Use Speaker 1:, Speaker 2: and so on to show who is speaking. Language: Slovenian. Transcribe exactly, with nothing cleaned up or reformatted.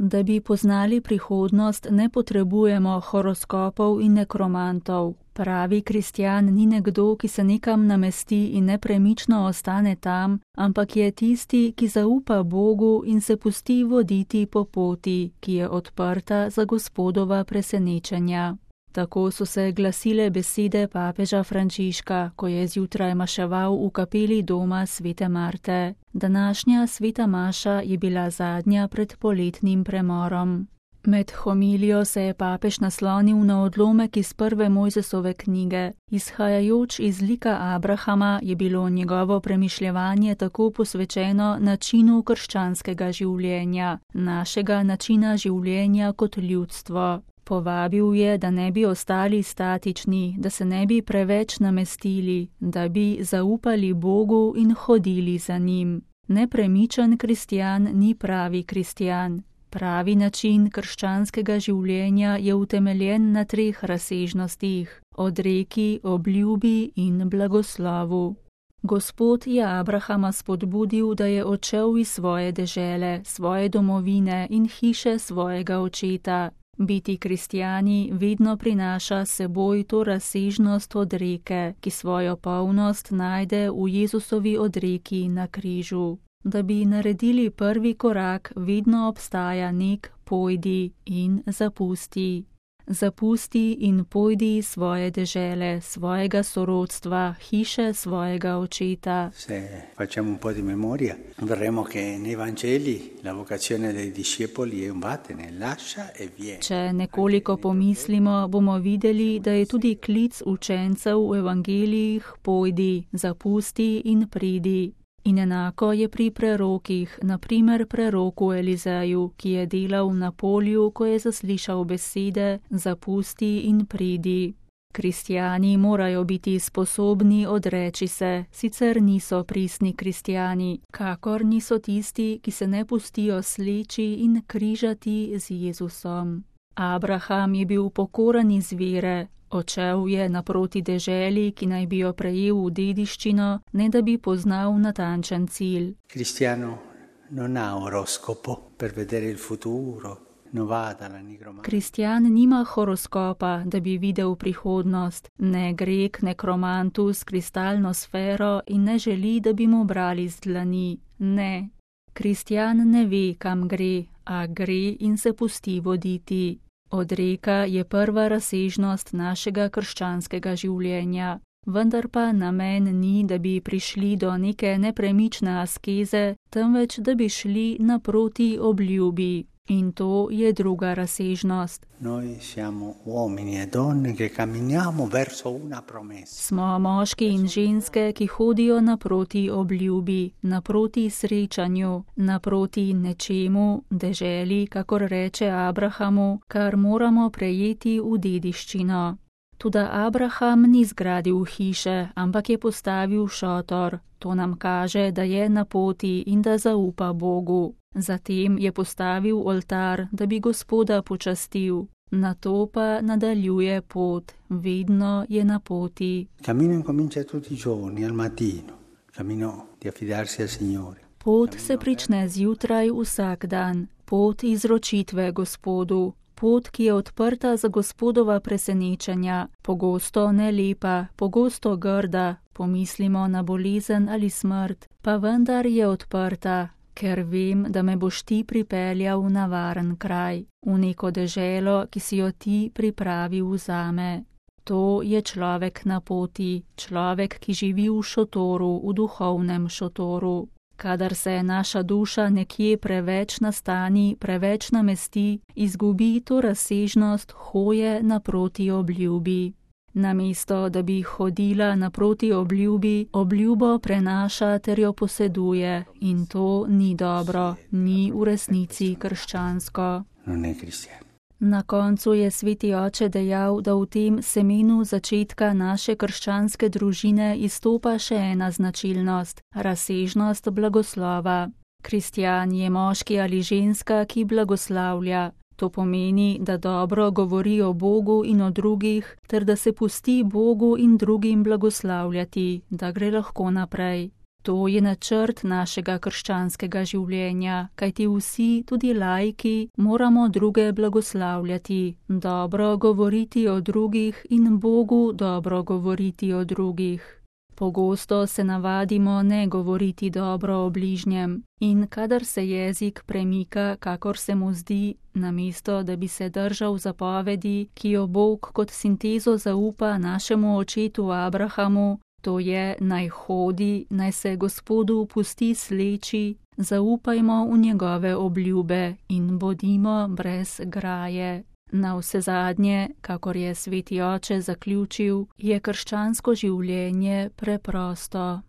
Speaker 1: Da bi poznali prihodnost, ne potrebujemo horoskopov in nekromantov. Pravi kristjan ni nekdo, ki se nekam namesti in nepremično ostane tam, ampak je tisti, ki zaupa Bogu in se pusti voditi po poti, ki je odprta za Gospodova presenečenja. Tako so se glasile besede papeža Frančiška, ko je zjutraj maševal v kapeli doma svete Marte. Današnja sveta maša je bila zadnja pred poletnim premorom. Med homilijo se je papež naslonil na odlomek iz prve Mojzesove knjige. Izhajajoč iz lika Abrahama je bilo njegovo premišljevanje tako posvečeno načinu krščanskega življenja, našega načina življenja kot ljudstvo. Povabil je, da ne bi ostali statični, da se ne bi preveč namestili, da bi zaupali Bogu in hodili za njim. Nepremičen kristjan ni pravi kristjan. Pravi način krščanskega življenja je utemeljen na treh razsežnostih: odreki, obljubi in blagoslovu. Gospod je Abrahama spodbudil, da je odšel iz svoje dežele, svoje domovine in hiše svojega očeta. Biti kristjani vedno prinaša seboj to razsežnost odreke, ki svojo polnost najde v Jezusovi odreki na križu. Da bi naredili prvi korak, vedno obstaja nek pojdi in zapusti. Zapusti in pojdi svoje dežele, svojega sorodstva, hiše svojega očeta.
Speaker 2: Se facciamo un po' di memoria, verremo che nei Vangeli la vocazione dei discepoli è un vattene, lascia e vieni.
Speaker 1: Če nekoliko pomislimo, bomo videli, da je tudi klic učencev v evangelijih pojdi, zapusti in pridi. In enako je pri prerokih, na primer preroku Elizeju, ki je delal na polju, ko je zaslišal besede zapusti in pridi. Kristjani morajo biti sposobni odreči se, sicer niso pristni kristjani, kakor niso tisti, ki se ne pustijo sleči in križati z Jezusom. Abraham je bil pokoran iz vere. Odšel je naproti deželi, ki naj bi jo prejel v dediščino, ne da bi poznal natančen cilj.
Speaker 2: Kristjano non ha oroscopo per vedere il futuro, non va dalla nigromanta.
Speaker 1: Kristjan nima horoskopa, da bi videl prihodnost, ne gre k nekromantu s kristalno sfero in ne želi, da bi mu brali z dlani. Ne. Kristjan ne ve, kam gre, a gre in se pusti voditi. Odreka je prva razsežnost našega krščanskega življenja, vendar pa namen ni, da bi prišli do neke nepremične askeze, temveč da bi šli naproti obljubi. In to je druga razsežnost.
Speaker 2: Noi siamo uomini e donne che camminiamo verso una promessa.
Speaker 1: Smo moški in ženske, ki hodijo naproti obljubi, naproti srečanju, naproti nečemu, deželi, kakor reče Abrahamu, kar moramo prejeti v dediščino. Toda Abraham ni zgradil hiše, ampak je postavil šotor. To nam kaže, da je na poti in da zaupa Bogu. Zatem je postavil oltar, da bi Gospoda počastil. Nato pa nadaljuje pot, vedno je na poti.
Speaker 2: Cammino incomincia tutti i giorni al mattino, cammino di affidarsi al Signore.
Speaker 1: Pot se prične zjutraj vsak dan, pot izročitve Gospodu. Pot, ki je odprta za Gospodova presenečenja, pogosto nelepa, pogosto grda, pomislimo na bolezen ali smrt, pa vendar je odprta, ker vem, da me boš ti pripeljal na varen kraj, v neko deželo, ki si jo ti pripravil zame. To je človek na poti, človek, ki živi v šotoru, v duhovnem šotoru. Kadar se naša duša nekje preveč nastani, preveč namesti, izgubi to razsežnost hoje naproti obljubi. Namesto, da bi hodila naproti obljubi, obljubo prenaša ter jo poseduje in to ni dobro, ni v resnici krščansko.
Speaker 2: Non è cristiano.
Speaker 1: Na koncu je sveti oče dejal, da v tem semenu začetka naše krščanske družine izstopa še ena značilnost, razsežnost blagoslova. Kristjan je moški ali ženska, ki blagoslavlja. To pomeni, da dobro govori o Bogu in o drugih, ter da se pusti Bogu in drugim blagoslavljati, da gre lahko naprej. To je načrt našega krščanskega življenja, kajti vsi, tudi laiki, moramo druge blagoslavljati, dobro govoriti o drugih in Bogu dobro govoriti o drugih. Pogosto se navadimo ne govoriti dobro o bližnjem in kadar se jezik premika, kakor se mu zdi, namesto da bi se držal zapovedi, ki jo Bog kot sintezo zaupa našemu očetu Abrahamu, to je naj hodi, naj se Gospodu pusti sleči, zaupajmo v njegove obljube in bodimo brez graje. Navsezadnje, kakor je sveti oče zaključil, je krščansko življenje preprosto.